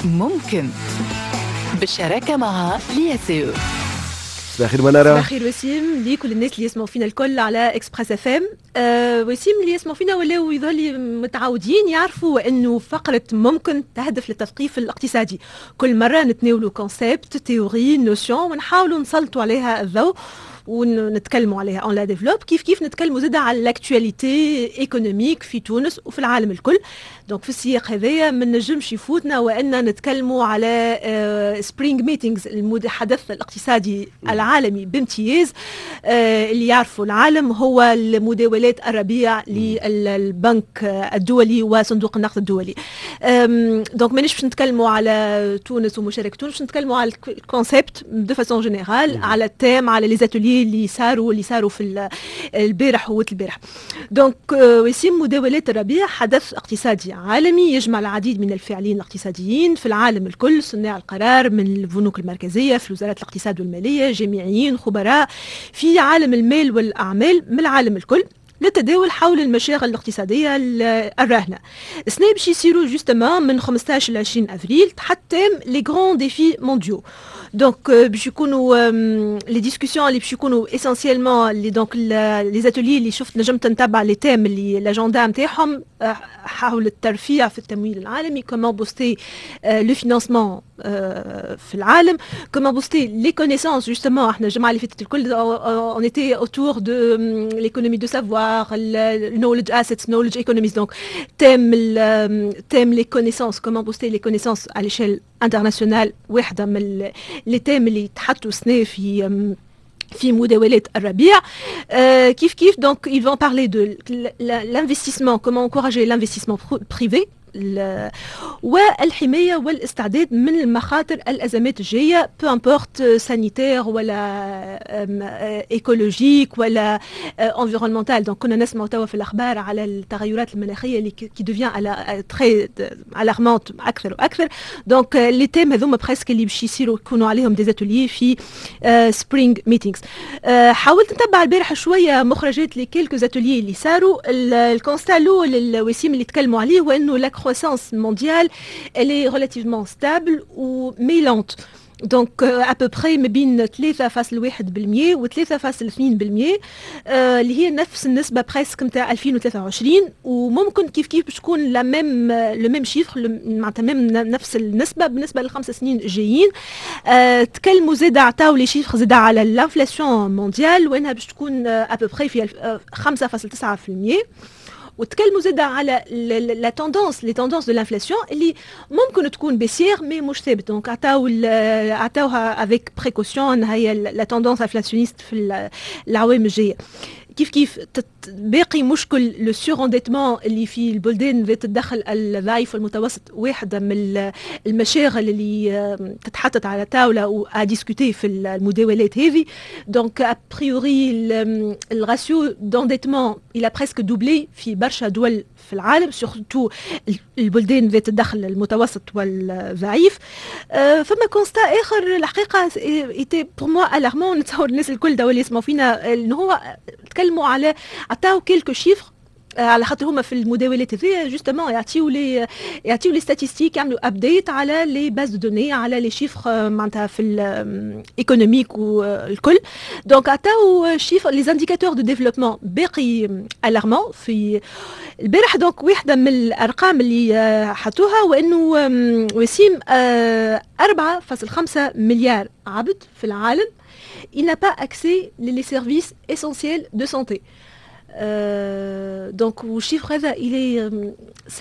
ممكن بالشراكة مع l'IACE. صباح الخير منارة. صباح الخير وسيم، لكل الناس اللي يسمعوا فينا الكل على Express FM. وسيم، اللي يسمعوا فينا ولاو يظهر متعودين يعرفوا انه فقرة ممكن تهدف للتثقيف الاقتصادي. كل مرة نتناولوا concept، théorie، notion، ونحاولوا نسلطوا عليها الضوء ونتكلموا عليها، on la développe. كيف كيف نتكلموا زاده على l'actualité économique في تونس وفي العالم الكل. donc في السياق هذايا ما نجمش يفوتنا وان نتكلموا على Spring Meetings، الحدث الاقتصادي العالمي بامتياز اللي يعرفوا العالم، هو المداولات الربيع للبنك الدولي وصندوق النقد الدولي. donc مانيش باش نتكلموا على تونس ومشاركة تونس، باش نتكلموا على ال concept de façon générale، على ال thème، على les ateliers اللي صاروا في البارح والبارح. donc وسيم، مداولات الربيع حدث اقتصادي عالمي يجمع العديد من الفاعلين الاقتصاديين في العالم الكل، صناع القرار من البنوك المركزية، في وزارات الاقتصاد والمالية، جامعيين، خبراء في عالم المال والأعمال من العالم الكل، للتداول حول المشاغل الاقتصادية الراهنة. السنة باش يصيروا justement من 15 ل 20 افريل تحت thème les grands défis mondiaux. donc باش يكونوا les discussions اللي باش يكونوا essentiellement les donc les ateliers اللي شفت، نجمت نتبع les thèmes اللي l'agenda نتاعهم حول الترفيع في التمويل العالمي، comment booster le financement في العالم، comment booster les connaissances. justement احنا الجمعة اللي فاتت الكل on était autour de l'économie de savoir، knowledge assets، knowledge economies. donc thème les connaissances، comment booster les connaissances à l'échelle internationale، واحدة من les thèmes اللي تحطوا سنة في مداولات الربيع. كيف كيف donc ils vont parler de l'investissement، comment encourager l'investissement privé، والحماية والاستعداد من المخاطر الازمات الجايه، peu importe sanitaire ولا écologique ولا environnementale. donc كنا نسمع توا في الاخبار على التغيرات المناخية اللي qui devient très alarmante اكثر واكثر. donc les thèmes هذوما presque اللي باش يصيروا يكونوا عليهم des ateliers في Spring Meetings. حاولت نتبع البارح شوية مخرجات les quelques ateliers اللي صاروا. ال constat الاول الوسيم اللي تكلموا عليه هو انه la croissance mondiale elle est relativement stable ou mais lente، donc à peu près ما بين 3.1% و 3.2%، اللي هي نفس النسبة presque نتاع 2023، وممكن كيف كيف باش تكون la même le même chiffre، معناتها même نفس النسبة بالنسبة لل5 سنين الجايين. تكلموا زاد، عطاو les chiffres زاد على l'inflation mondiale وانها باش تكون à peu près في 5.9%، وتكلموا زاد على la tendance، les tendances de l'inflation اللي ممكن تكون baissière mais مش ثابت. donc عطاوها avec précaution هي la tendance inflationniste في العوام الجايه. كيف كيف باقي مشكل le surendettement اللي في البلدان ذات الدخل الضعيف والمتوسط، واحدة من المشاغل اللي تتحطت على طاولة و à discuter في المداولات هذه. donc a priori ال ratio d'endettement il a presque doublé في برشا دول في العالم، surtout البلدان ذات الدخل المتوسط والضعيف. فما constat اخر الحقيقة était pour moi alarmant، نتصور الناس الكل اللي يسمعوا فينا، انه هو تكلموا على عطاو quelques chiffres، على خاطر هما في المداولات هذيا justement يعطيو les statistiques، يعملوا update على les bases de données، على les chiffres معناتها في ال économique والكل. donc عطاو chiffres، les indicateurs de développement باقي alarmants في البارح. donc واحدة من الارقام اللي حطوها وانه وسيم 4.5 مليار عبد في العالم il n'a pas accès les services essentiels de santé. Donc le chiffre هذا il est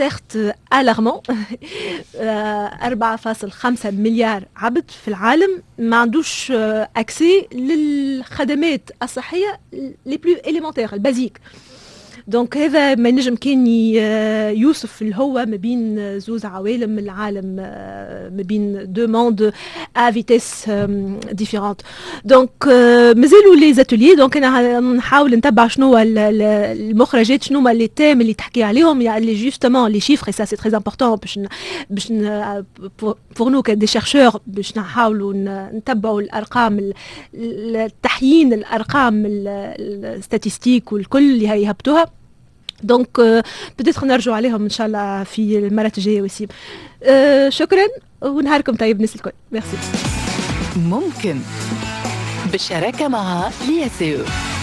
certes alarmant، 4.5 مليار عبد في العالم ما عندوش accès للخدمات الصحية les plus élémentaires، ال basiques. donc هذا ما نجم كان يوصف الهوة ما بين زوز عوالم العالم، ما بين deux mondes à vitesse différente. donc مازالوا les ateliers، donc انا نحاول نتبع شنو المخرجات، شنو هما les thèmes اللي تحكي عليهم، يعني justement les chiffres، ça c'est très important باش pour nous des chercheurs باش نحاولوا نتبعوا الارقام، التحيين الارقام، ال statistiques والكل اللي هيهبطوها. donc peut-être نرجعوا عليهم ان شاء الله في المرات الجايه. وسيم، شكرا. ونهاركم طيب الناس الكل، ميرسي. ممكن بالشراكة مع l'IACE.